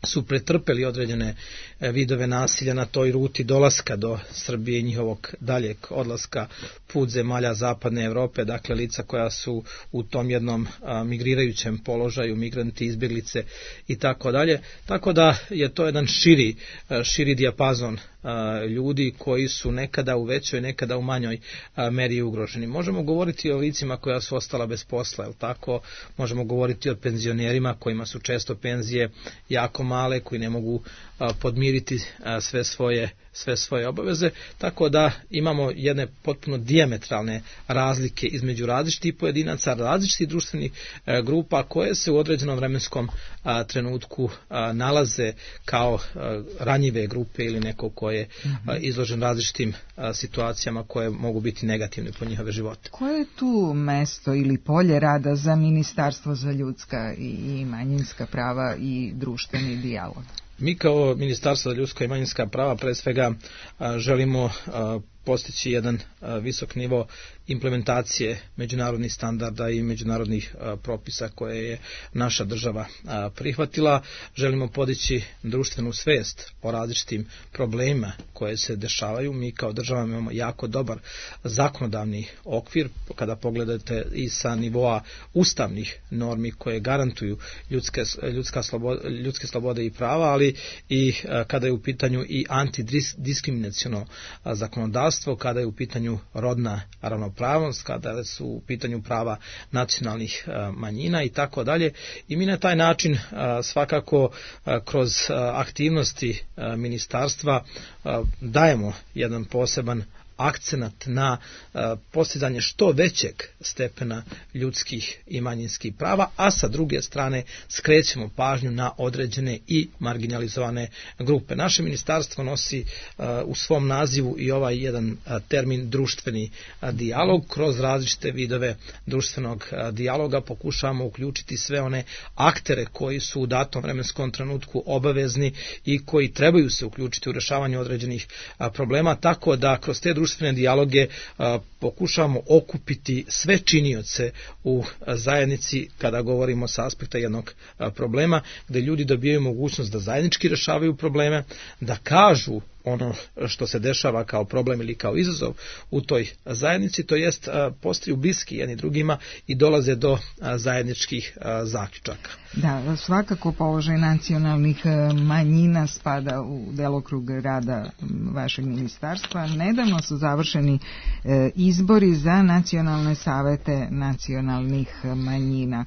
su pretrpeli određene vidove nasilja na toj ruti dolaska do Srbije i njihovog daljeg odlaska put zemalja zapadne Evrope, dakle lica koja su u tom jednom a, migrirajućem položaju, migranti, izbjeglice i tako dalje. Tako da je to jedan širi, a, širi dijapazon a, ljudi koji su nekada u većoj, nekada u manjoj a, meri ugroženi. Možemo govoriti o licima koja su ostala bez posla, jel tako? Možemo govoriti o penzionerima kojima su često penzije jako male, koji ne mogu a, podmiriti a, sve svoje sve svoje obaveze, tako da imamo jedne potpuno dijametralne razlike između različitih pojedinaca, različitih društvenih e, grupa koje se u određenom vremenskom a, trenutku a, nalaze kao a, ranjive grupe ili neko ko je a, izložen različitim a, situacijama koje mogu biti negativne po njihove živote. Koje je tu mesto ili polje rada za Ministarstvo za ljudska i manjinska prava i društveni dijalog? Mi kao Ministarstvo za ljudska i manjinska prava pre svega a, želimo a, postići jedan a, visok nivo implementacije međunarodnih standarda i međunarodnih a, propisa koje je naša država a, prihvatila. Želimo podići društvenu svest o različitim problemima koje se dešavaju. Mi kao država imamo jako dobar zakonodavni okvir, kada pogledate i sa nivoa ustavnih normi koje garantuju ljudske, ljudska sloboda, ljudske slobode i prava, ali i a, kada je u pitanju i antidiskriminaciono zakonodavstvo, kada je u pitanju rodna ravnopravnost, kada su u pitanju prava nacionalnih manjina i tako dalje. I mi na taj način svakako kroz aktivnosti ministarstva dajemo jedan poseban akcenat na uh, postizanje što većeg stepena ljudskih i manjinskih prava, a sa druge strane skrećemo pažnju na određene i marginalizovane grupe. Naše ministarstvo nosi uh, u svom nazivu i ovaj jedan uh, termin društveni uh, dijalog. Kroz različite vidove društvenog uh, dijaloga pokušavamo uključiti sve one aktere koji su u datom vremenskom trenutku obavezni i koji trebaju se uključiti u rešavanje određenih uh, problema, tako da kroz te društvene dijaloge a, pokušavamo okupiti sve činioce u a, zajednici kada govorimo sa aspekta jednog a, problema, gde ljudi dobijaju mogućnost da zajednički rešavaju probleme, da kažu ono što se dešava kao problem ili kao izazov u toj zajednici, to jest postaju bliski jedni drugima i dolaze do zajedničkih zaključaka. Da, svakako položaj nacionalnih manjina spada u delokrug rada vašeg ministarstva. Nedavno su završeni izbori za nacionalne savete nacionalnih manjina.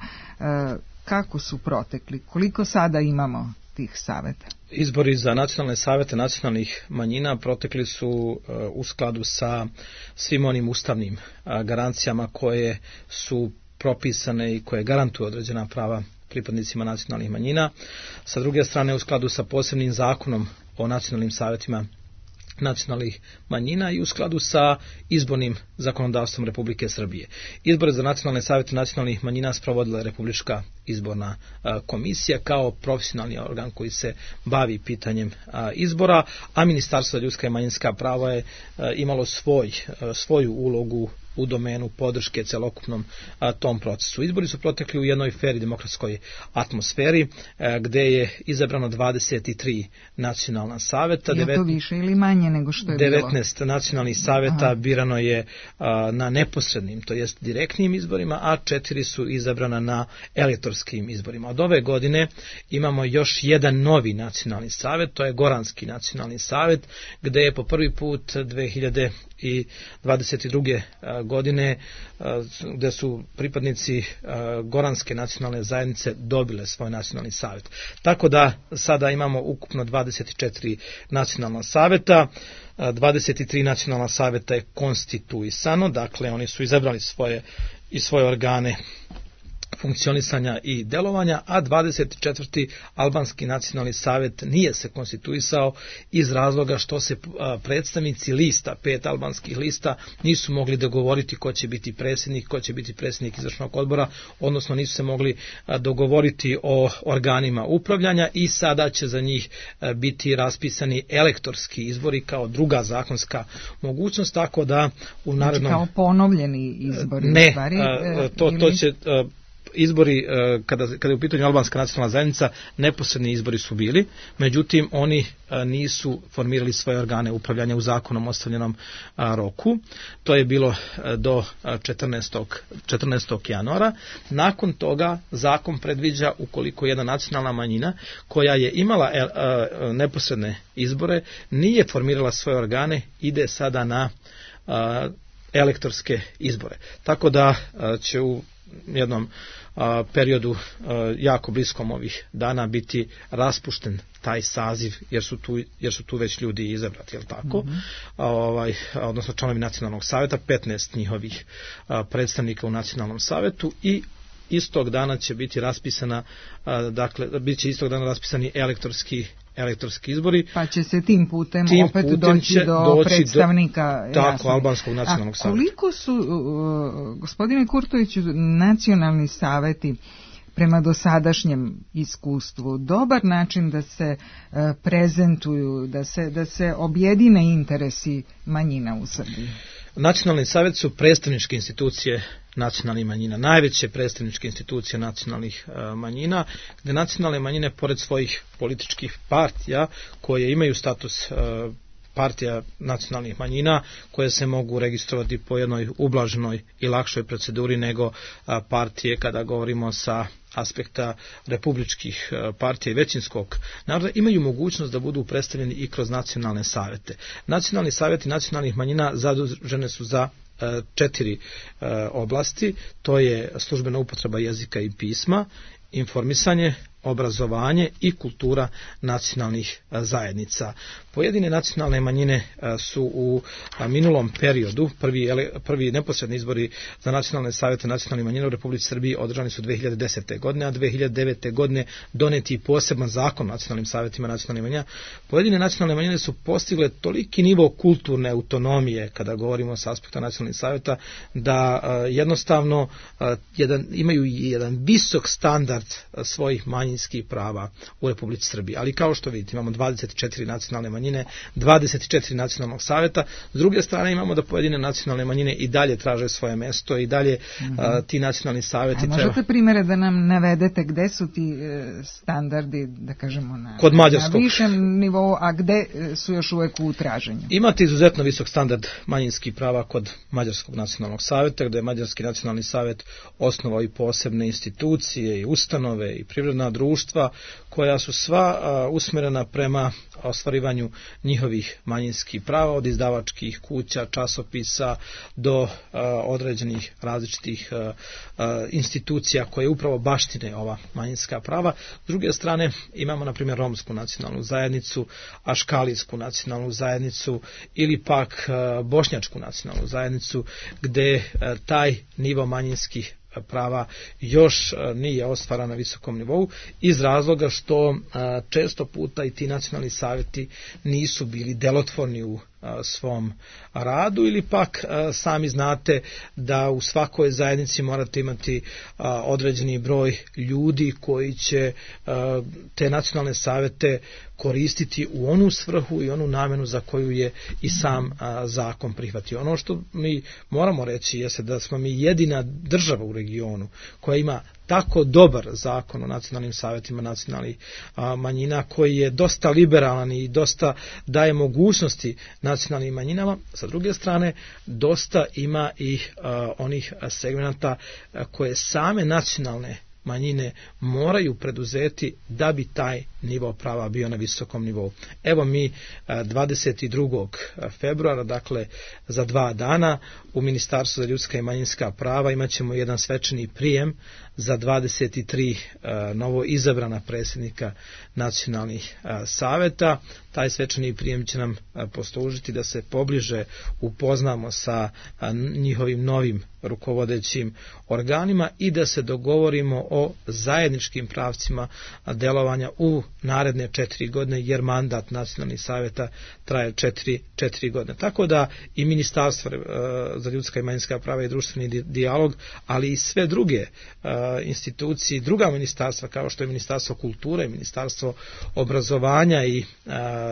Kako su protekli? Koliko sada imamo tih saveta? Izbori za nacionalne savete nacionalnih manjina protekli su uh, u skladu sa svim onim ustavnim uh, garancijama koje su propisane i koje garantuju određena prava pripadnicima nacionalnih manjina. Sa druge strane, u skladu sa posebnim zakonom o nacionalnim savetima nacionalnih manjina i u skladu sa izbornim zakonodavstvom Republike Srbije. Izbore za nacionalne savete nacionalnih manjina sprovodila je Republička izborna a, komisija kao profesionalni organ koji se bavi pitanjem a, izbora, a Ministarstvo za ljudska i manjinska prava je a, imalo svoj, a, svoju ulogu u domenu podrške celokupnom a, tom procesu. Izbori su protekli u jednoj fer i demokratskoj atmosferi, a, gde je izabrano dvadeset tri nacionalna saveta. Je to više ili manje nego što je bilo? devetnaest nacionalnih saveta Aha. birano je a, na neposrednim, to jest direktnim izborima, a četiri su izabrana na elektorskim izborima. Od ove godine imamo još jedan novi nacionalni savet, to je Goranski nacionalni savet, gde je po prvi put dve hiljade dvadeset druge godine, gde su pripadnici Goranske nacionalne zajednice dobile svoj nacionalni savjet. Tako da sada imamo ukupno dvadeset četiri nacionalna saveta, dvadeset tri nacionalna saveta je konstituisano, dakle oni su izabrali svoje i svoje organe funkcionisanja i delovanja, a dvadeset četvrti albanski nacionalni savjet nije se konstituisao iz razloga što se predstavnici lista, pet albanskih lista, nisu mogli dogovoriti ko će biti predsjednik, ko će biti predsjednik izvršnog odbora, odnosno nisu se mogli dogovoriti o organima upravljanja i sada će za njih biti raspisani elektorski izbori kao druga zakonska mogućnost, tako da u narednom... Znači kao ponovljeni izbori? Ne, stvari, to, to će... Izbori, kada, kada je u pitanju albanska nacionalna zajednica, neposredni izbori su bili, međutim oni nisu formirali svoje organe upravljanja u zakonom ostavljenom roku. To je bilo do četrnaestog januara. Nakon toga zakon predviđa, ukoliko jedna nacionalna manjina koja je imala neposredne izbore, nije formirala svoje organe, ide sada na elektorske izbore. Tako da će u jednom a, periodu a, jako bliskom ovih dana biti raspušten taj saziv, jer su tu, jer su tu već ljudi izabrati, je li tako? Mm-hmm. a, ovaj, a, odnosno članovi nacionalnog savjeta, petnaest njihovih a, predstavnika u nacionalnom savjetu, i istog dana će biti raspisana, a, dakle, bit će istog dana raspisani elektorski elektorski izbori. Pa će se tim putem tim opet putem doći do doći predstavnika. Do, tako, albanskog nacionalnog savjeta. A koliko su, uh, gospodine Kurtoviću, nacionalni savjeti prema dosadašnjem iskustvu dobar način da se uh, prezentuju, da se, da se objedine interesi manjina u Srbiji? Nacionalni savjet su predstavničke institucije nacionalnih manjina, najveće predstavničke institucije nacionalnih uh, manjina, gdje nacionalne manjine, pored svojih političkih partija koje imaju status uh, partija nacionalnih manjina, koje se mogu registrovati po jednoj ublaženoj i lakšoj proceduri nego uh, partije kada govorimo sa aspekta republičkih partija i većinskog naroda, imaju mogućnost da budu predstavljeni i kroz nacionalne savjete. Nacionalni savjeti nacionalnih manjina zadužene su za četiri oblasti, to je službena upotreba jezika i pisma, informisanje, obrazovanje i kultura nacionalnih zajednica. Pojedine nacionalne manjine su u minulom periodu, prvi, prvi neposredni izbori za nacionalne savjete nacionalnih manjina u Republici Srbiji održani su dve hiljade desete. godine, a dve hiljade devete. godine doneti poseban zakon o nacionalnim savjetima nacionalnih manjina. Pojedine nacionalne manjine su postigle toliki nivo kulturne autonomije, kada govorimo sa aspekta nacionalnih savjeta, da jednostavno jedan, imaju jedan visok standard svojih manjinskih prava u Republici Srbiji. Ali kao što vidite, imamo dvadeset četiri nacionalne manjine, dvadeset četiri nacionalnog savjeta. S druge strane imamo da pojedine nacionalne manjine i dalje traže svoje mesto i dalje mm-hmm. a, ti nacionalni savjeti treba... A možete primjere da nam navedete gde su ti e, standardi, da kažemo, na, Kod mađarskog. na višem nivou, a gde su još uvek u traženju? Imate izuzetno visok standard manjinskih prava kod Mađarskog nacionalnog savjeta, gde je Mađarski nacionalni savjet osnovao i posebne institucije i ustanove i privredna društva koja su sva a, usmjerena prema ostvarivanju njihovih manjinskih prava, od izdavačkih kuća, časopisa do a, određenih različitih a, a, institucija koje upravo baštine ova manjinska prava. S druge strane imamo na primjer romsku nacionalnu zajednicu, aškalijsku nacionalnu zajednicu ili pak a, bošnjačku nacionalnu zajednicu, gde a, taj nivo manjinskih prava još nije ostvara na visokom nivou, iz razloga što često puta i ti nacionalni savjeti nisu bili delotvorni u svom radu, ili pak sami znate da u svakoj zajednici morate imati određeni broj ljudi koji će te nacionalne savjete koristiti u onu svrhu i onu namenu za koju je i sam zakon prihvatio. Ono što mi moramo reći jeste da smo mi jedina država u regionu koja ima tako dobar zakon o nacionalnim savjetima nacionalnih a, manjina, koji je dosta liberalan i dosta daje mogućnosti nacionalnim manjinama. Sa druge strane, dosta ima i a, onih segmenta a, koje same nacionalne manjine moraju preduzeti da bi taj nivo prava bio na visokom nivou. Evo mi dvadeset drugog februara, dakle za dva dana, u Ministarstvu za ljudska i manjinska prava imat ćemo jedan svečani prijem za dvadeset tri novo izabrana predsjednika nacionalnih saveta. Taj svečani prijem će nam poslužiti da se pobliže upoznamo sa njihovim novim rukovodećim organima i da se dogovorimo o zajedničkim pravcima delovanja u naredne četiri godine, jer mandat nacionalnih savjeta traje četiri, četiri godine. Tako da i Ministarstvo za ljudska i manjinska prava i društveni dijalog, ali i sve druge institucije, druga ministarstva kao što je Ministarstvo kulture, Ministarstvo obrazovanja i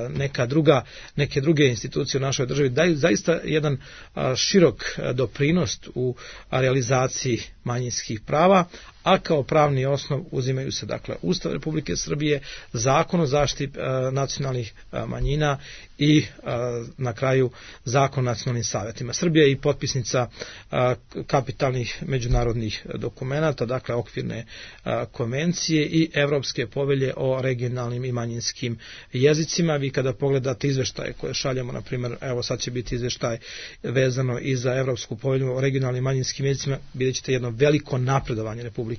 neka druga, neke druge institucije u našoj državi daju zaista jedan širok doprinos u realizaciji manjinskih prava, a kao pravni osnov uzimaju se dakle Ustav Republike Srbije, Zakon o zaštiti e, nacionalnih e, manjina i e, na kraju Zakon o nacionalnim savjetima. Srbija je i potpisnica e, kapitalnih međunarodnih dokumenata, dakle okvirne e, konvencije i Evropske povelje o regionalnim i manjinskim jezicima. Vi kada pogledate izveštaje koje šaljemo, na primjer, evo sad će biti izveštaj vezano i za Evropsku povelju o regionalnim i manjinskim jezicima, vidjet ćete jedno veliko napredovanje Republike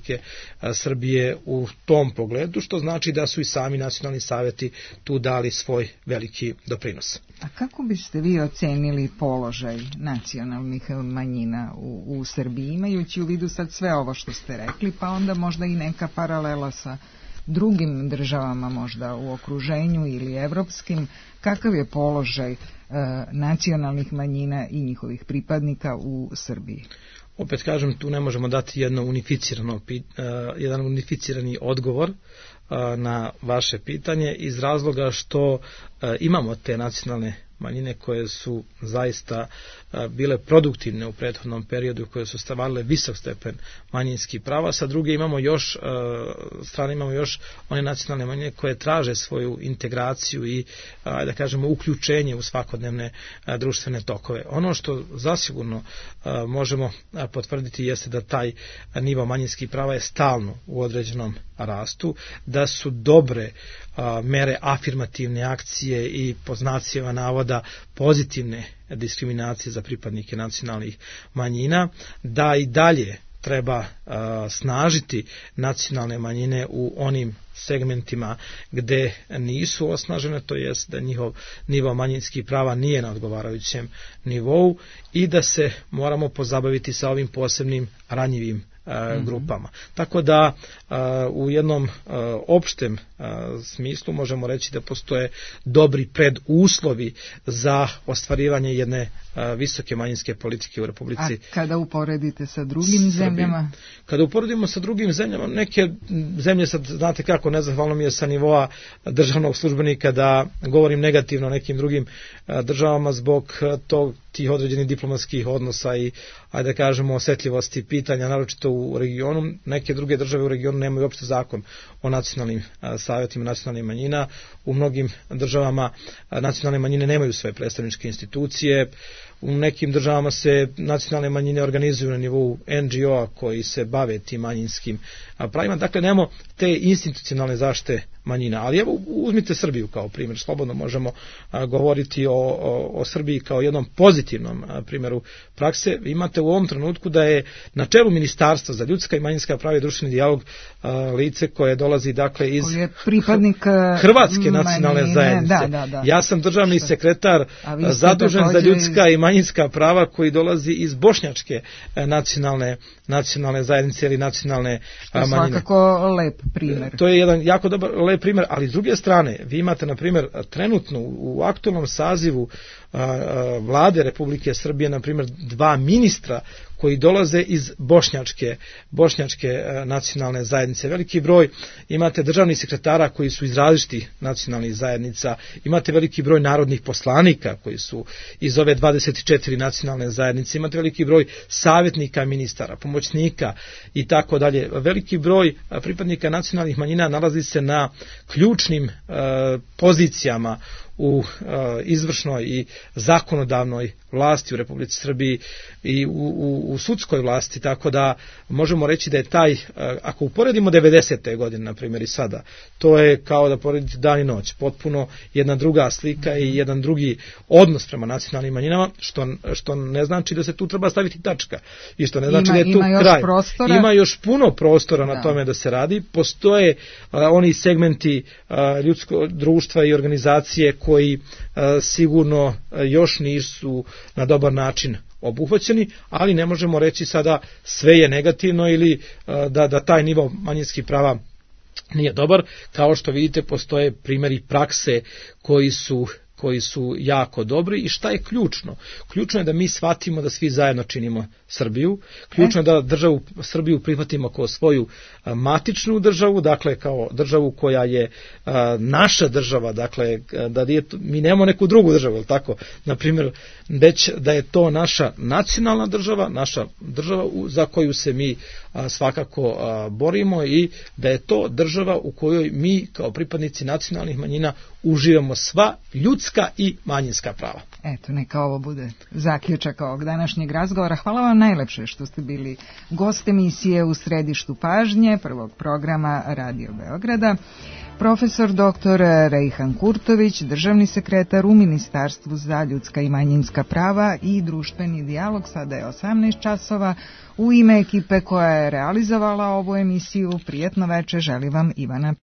Srbije u tom pogledu, što znači da su i sami nacionalni savjeti tu dali svoj veliki doprinos. A kako biste vi ocenili položaj nacionalnih manjina u, u Srbiji, imajući u vidu sad sve ovo što ste rekli, pa onda možda i neka paralela sa drugim državama možda u okruženju ili evropskim, kakav je položaj e, nacionalnih manjina i njihovih pripadnika u Srbiji? Opet kažem, tu ne možemo dati jedno unificirano, uh, jedan unificirani odgovor uh, na vaše pitanje iz razloga što uh, imamo te nacionalne manjine koje su zaista uh, bile produktivne u prethodnom periodu, koje su stvarale visok stepen manjinskih prava. Sa druge imamo još, uh, strane imamo još one nacionalne manjine koje traže svoju integraciju i uh, da kažemo uključenje u svakodnevne uh, društvene tokove. Ono što zasigurno uh, možemo uh, potvrditi jeste da taj nivo manjinskih prava je stalno u određenom rastu, da su dobre a, mere afirmativne akcije i po znacima navoda pozitivne diskriminacije za pripadnike nacionalnih manjina, da i dalje treba a, snažiti nacionalne manjine u onim segmentima gde nisu osnažene, to jest da njihov nivo manjinskih prava nije na odgovarajućem nivou i da se moramo pozabaviti sa ovim posebnim ranjivim uh, grupama. Tako da uh, u jednom uh, opštem uh, smislu možemo reći da postoje dobri preduslovi za ostvarivanje jedne uh, visoke manjinske politike u Republici. A kada uporedite sa drugim Srbi. zemljama? Kada uporedimo sa drugim zemljama, neke zemlje, sad znate kako, nezahvalno mi je sa nivoa državnog službenika da govorim negativno o nekim drugim uh, državama zbog uh, tog tih određenih diplomatskih odnosa i, ajde da kažemo, osetljivosti pitanja, naročito u regionu. Neke druge države u regionu nemaju uopšte zakon o nacionalnim a, savjetima nacionalnih manjina. U mnogim državama a, nacionalne manjine nemaju svoje predstavničke institucije. U nekim državama se nacionalne manjine organizuju na nivou en dži o-a koji se bave tim manjinskim pravima. Dakle, nemamo te institucionalne zaštite manjina. Ali evo, uzmite Srbiju kao primjer. Slobodno možemo a, govoriti o, o, o Srbiji kao jednom pozitivnom a, primjeru prakse. Imate u ovom trenutku da je na čelu Ministarstva za ljudska i manjinska prava i društveni dijalog a, lice koje dolazi dakle iz pripadnik Hrvatske nacionalne manjine, zajednice. Da, da, da. Ja sam državni sekretar zadužen za ljudska i manjinska prava koji dolazi iz bošnjačke nacionalne, nacionalne zajednice ili nacionalne manjine. Svakako lep primjer. To je jedan jako dobar, lep primjer, ali s druge strane, vi imate, na primjer, trenutno u aktualnom sazivu a, a, vlade Republike Srbije, na primjer, dva ministra koji dolaze iz bošnjačke, bošnjačke a, nacionalne zajednice. Veliki broj, imate državnih sekretara koji su iz različitih nacionalnih zajednica, imate veliki broj narodnih poslanika koji su iz ove dvadeset četiri nacionalne zajednice, imate veliki broj savjetnika ministara, pomoćnika i tako dalje. Veliki broj pripadnika nacionalnih manjina nalazi se na ključnim e, pozicijama u izvršnoj i zakonodavnoj vlasti u Republici Srbiji i u, u, u sudskoj vlasti, tako da možemo reći da je taj, ako uporedimo devedesete godine, na primjer, i sada, to je kao da poredite dan i noć, potpuno jedna druga slika i jedan drugi odnos prema nacionalnim manjinama, što, što ne znači da se tu treba staviti tačka i što ne znači ima, da je tu ima kraj. Prostora. Ima još puno prostora da. na tome da se radi. Postoje uh, oni segmenti uh, ljudskog društva i organizacije koji uh, sigurno uh, još nisu na dobar način obuhvaćeni, ali ne možemo reći sada sve je negativno ili uh, da, da taj nivo manjinskih prava nije dobar. Kao što vidite, postoje primjeri prakse koji su koji su jako dobri. I šta je ključno? Ključno je da mi shvatimo da svi zajedno činimo Srbiju. Ključno je da državu Srbiju prihvatimo kao svoju matičnu državu, dakle kao državu koja je a, naša država, dakle da je, mi nemamo neku drugu državu, tako? Na primjer, već da je to naša nacionalna država, naša država za koju se mi a, svakako a, borimo i da je to država u kojoj mi kao pripadnici nacionalnih manjina uživamo sva ljudska i manjinska prava. Eto, neka ovo bude zaključak ovog današnjeg razgovora. Hvala vam najlepše što ste bili gost emisije U središtu pažnje prvog programa Radio Beograda. Profesor doktor Rejhan Kurtović, državni sekretar u Ministarstvu za ljudska i manjinska prava i društveni dijalog. Sada je osamnaest časova. U ime ekipe koja je realizovala ovu emisiju, prijetno veče želi vam Ivana